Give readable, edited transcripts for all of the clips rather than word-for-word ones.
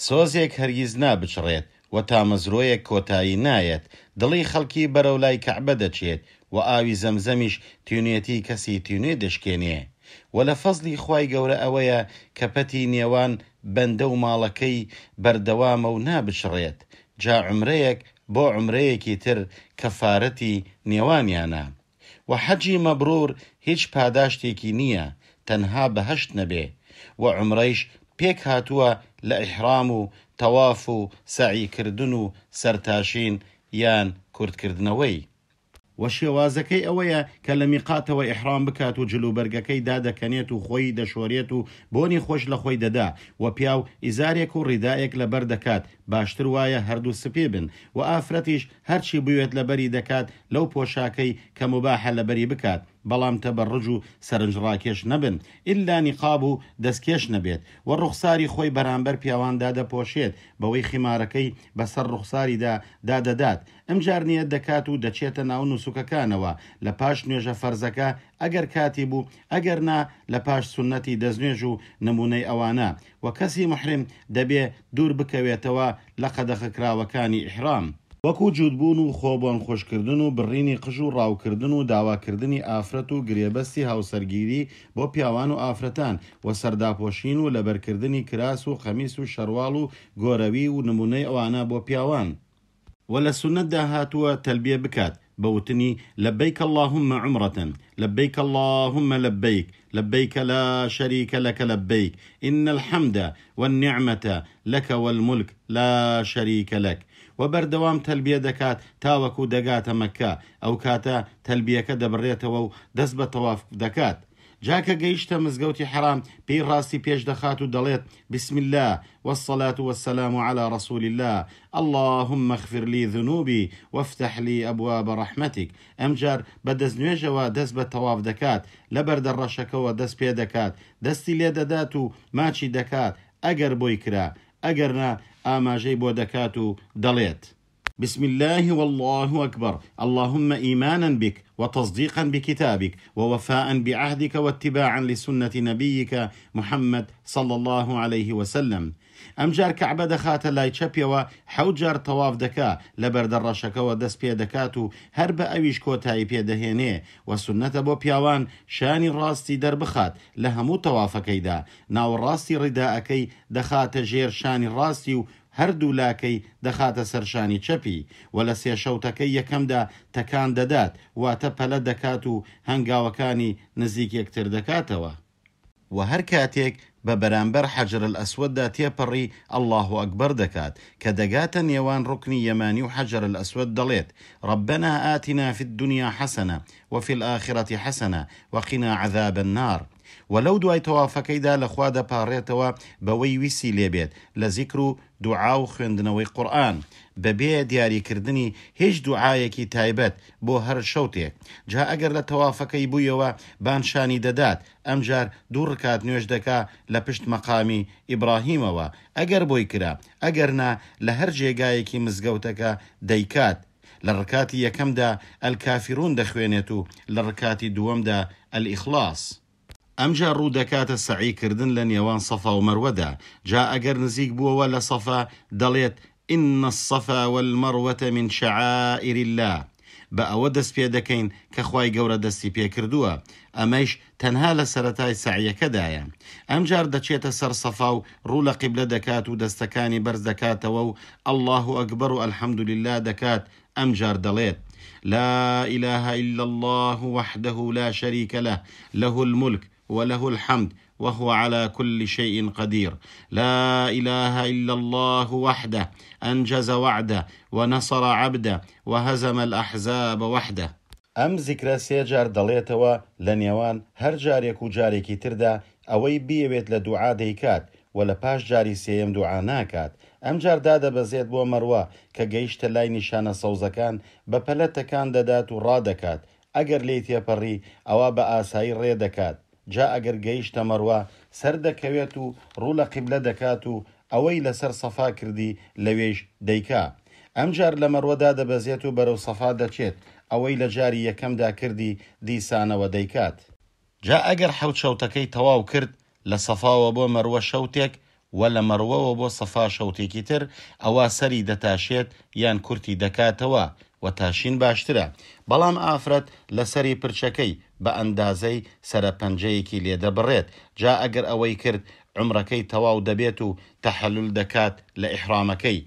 سۆزێک هەرگیز نابچڕێت و تامەزرۆیەک کۆتایی نایەت، دڵی خەڵکی بەرەو لای کەعبە دەچێت و ئاوی زەمزەمیش تینوێتی کەسی تینوێ دەشکێنێ. وە لە فەزڵی خوای گەورە ئەوەیە کە پەتی نێوان بەندە و ماڵەکەی بەردەوامە و نابچڕێت، جا عومرەیەک بۆ عومرەیەکی تر کەفارەتی نێوانیانە. وە حەجی مەبرور هیچ پاداشتێکی نییە تەنها بەهەشت نەبێ، وە عومرەیش پێک هاتووە لە ئیحرام و تەواف و سەعی کردن و سەرتاشین یان کورتکردنەوەی. وە شێوازەکەی ئەوەیە کە لە میقاتەوە ئیحرام بکات و جلوبەرگەکەی دادەکەنێت و خۆی دەشۆرێت و بۆنی خۆش لە خۆی دەدا، وە پیاو ئیزارێک و ڕیدائێک لەبەر دەکات باشتر وایە هەردوو سپی بن، وە ئافرەتیش هەرچی بوێت لەبەری دەکات لەو پۆشاکەی کە موباحە لەبەری بکات بەڵام تەبەڕوج و سەرنجڕاکێش نەبن ئیلا نیقاب و دەستکێش نەبێت، وە ڕوخساری خۆی بەرامبەر پیاوان دادەپۆشێت بەوەی خیمارەکەی بەسەر ڕوخساریدا دادەدات ئمجار نیەت دەکات و دەچێتە ناو نوسوکەکانەوە لە پاش نوێژە فەرزەکە ئەگەر کاتی بوو ئەگەر نا لە پاش سوننەتی دەستنوێژ و نمونەی ئەوانە، وە کەسی موحریم دەبێ دوور بکەوێتەوە لە قەدەخەکراوەکانی ئیحرام، وەکو جووت بوون و خۆ بۆن خۆشکردن و بڕینی قژ و ڕاوکردن و داواکردنی ئافرەت و گرێبەستی هاوسەرگیری بۆ پیاوان و ئافرەتان، وە سەرداپۆشین و لەبەرکردنی کراس و قەمیس و شەرواڵ و گۆرەوی و نمونەی ئەوانە بۆ پیاوان. وە لە سوننەتدا هاتووە تەلبیە بکات بە وتنی، لبیک اللهم عمرە، لبیک اللهم لبیک، لبیک لا شریک لک لبیک، ان الحمد والنعمە لک والملک لا شریک لک. وە بەردەوام تەلبیە دەکات تاوەکو دەگاتە مەککە، ئەوکاتە تەلبیەکە دەبڕێتەوە و دەست بە تەواف دەکات. جا کە گەیشتە مزگەوتی حەرام پێی ڕاستی پێش دەخات و دەڵێت، بسم اللە والصلاة والسلام علی رسول اللە اللهم اغفر لی ذنوبی وافتح لی ابواب رحمتک ئەمجار بە دەستنوێژەوە دەست بە تەواف دەکات لە بەردە ڕەشەکەوە دەست پێ دەکات دەستی لێ دەدات و ماچی دەکات ئەگەر بۆی کرا ئەگەر نا ئاماژەی بۆ دەکات و دەڵێت. بسم اللە واللە اکبر اللهم ایمانا بک وتصدیقا بکتابک ووفاء بعهدک واتباعا لسنة نبیک محمد صلی اللە علیه وسلم ئەمجار کەعبە دەخاتە لای چەپیەوە حەوت جار تەواف دەکا لە بەردە ڕەشەکەوە دەست پێ دەکات و هەر بە ئەویش کۆتایی پێ دەهێنێ وە سوننەتە بۆ پیاوان شانی ڕاستی دەربخات لە هەموو تەوافەکەیدا ناوەڕاستی ڕیدائەکەی دەخاتە ژێر شانی ڕاستی و هەردوو لاکەی دەخاتە سەر شانی چەپی و لە سێ شەوتەکەی یەکەمدا تەکان دەدات، واتە پەلە دەکات و هەنگاوەکانی نزیک یەکتر دەکاتەوە. وە هەر کاتێک بە بەرامبەر حەجر الاسوددا تێپەڕی اللە اکبر دەکات، کە دەگاتە نێوان ڕوکنی یەمانی و حەجر الاسود دەڵێت، ربنا آتنا فی الدنیا حسنە وفی الآخرە حسنە وقنا عذاب النار. وە لەو دوای تەوافەکەیدا لە خوا دەپاڕێتەوە بەوەی ویستی لێ بێت لە زیکر و دوعا و خوێندنەوەی قورئان بەبێ دیاریکردنی هیچ دوعایەکی تایبەت بۆ هەر شەوتێک، جا ئەگەر لە تەوافەکەی بوویەوە بان شانی دەدات ئەمجار دوو ڕکات نوێژ دەکا لە پشت مەقامی ئیبڕاهیمەوە ئەگەر بۆی کرا ئەگەر نا لە هەر جێگایەکی مزگەوتەکە دەیکات لە ڕکاتی یەکەمدا الکافرون دەخوێنێت و لە ڕکاتی دووەمدا الاخلاص. ئەمجا ڕوو دەکاتە سەعی کردن لە نێوان صەفا و مەروەدا، جا ئەگەر نزیک بووەوە لە صەفا دەڵێت، ان الصفا والمروە من شعائر اللە، بە ئەوە دەست پێ دەکەین کە خوای گەورە دەستی پێ کردووە، ئەمەیش تەنها لە سەرەتای سەعیەکەدایە. ئەمجار دەچێتە سەر سەفا و ڕوو لە قیبلە دەکات و دەستەکانی بەرز دەکاتەوە و اللە اکبر و الحمدللە دەکات، ئەمجار دەڵێت، لا الە الا اللە وحده لا شریک له، له الملک وله الحمد وهو علی کل شیء قدیر، لا الە الا اللە وحده انجز وعده ونصر عبده وهزم الاحزاب وحده. ئەم زیکرە سێ جار دەڵێتەوە لە نێوان هەر جارێک و جارێکی تردا ئەوەی بیەوێت لە دوعا دەیکات وە لە پاش جاری سێیەم دوعا ناکات ئەمجار دادەبەزێت بۆ مەروە کە گەیشتە لای نیشانە سەوزەکان بە پەلە تەکان دەدات و ڕادەکات ئەگەر لێی تێپەڕی ئەوا بە ئاسایی ڕێ دەکات جا ئەگەر گەیشتە مەروە سەردەکەوێت و ڕوو لە قیبلە دەکات و ئەوەی لەسەر سەفا کردی لەوێیش دەیکا. ئەمجار لە مەروە دادەبەزێت و بەرەو سەفا دەچێت، ئەوەی لە جاری یەکەمدا کردی دیسانەوە دەیکات. جا ئەگەر حەوت شەوتەکەی تەواو کرد، لە سەفاوە بۆ مەروە شەوتێک وە لە مەڕوەوە بۆ سەفا شەوتێکی تر، ئەوا سەری دەتاشێت یان کورتی دەکاتەوە، وە تاشین باشترە، بەڵام ئافرەت لە سەری پرچەکەی بە ئەندازەی سەرە پەنجەیەکی لێ دەبڕێت، جا ئەگەر ئەوەی کرد عومرەکەی تەواو دەبێت و تەحەلول دەکات لە ئیحرامەکەی،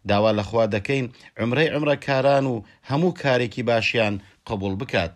داوا لە خوا دەکەین عومرەی عومرەکاران و هەموو کارێکی باشیان قبوڵ بکات.